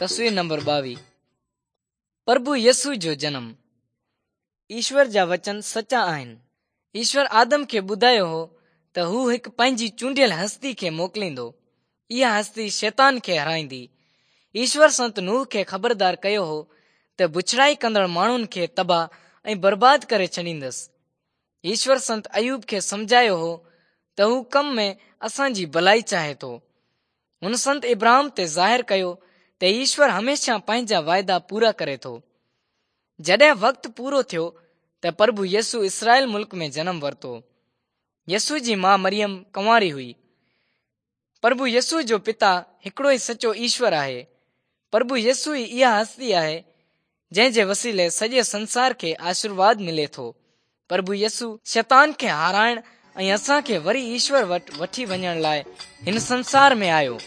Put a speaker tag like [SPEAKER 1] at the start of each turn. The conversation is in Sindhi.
[SPEAKER 1] تصوير نمبر 22 پرڀو يسوع جو جنم. ايشور جا وچن سچا آهن. ايشور آدم کي ٻڌايو هو ته هو هڪ پنهنجي چونڊيل هستي کي موڪليندو. اها هستي شيطان کي هارائيندي. ايشور سنت نوح کي خبردار ڪيو هو ته بڇڙائي ڪندڙ ماڻهن کي تباهه ۽ برباد ڪري ڇڏيندس. ايشور سنت ايوب کي سمجهايو هو ته هو ڪم ۾ اسان جي ڀلائي چاهي ٿو. هن سنت ابراهام تي ظاهر ڪيو ته ايشور هميشه پنهنجا واعدا پورا ڪري ٿو. جڏهن وقت پورو ٿيو ته پرڀو يسوع اسرائيل ملڪ ۾ جنم ورتو. يسوع جي ماء مريم ڪنواري هئي. پرڀو يسوع جو پتا هڪڙو ئي سچو ايشور آهي. پرڀو يسوع ئي اها هستي آهي جنهن جي وسيلي سڄي سنسار کي آشيرواد ملي ٿو. پرڀو يسوع شيطان کي هارائڻ ۽ اسان کي وري ايشور وٽ وٺي وڃڻ لاء هن سنسار ۾ آيو.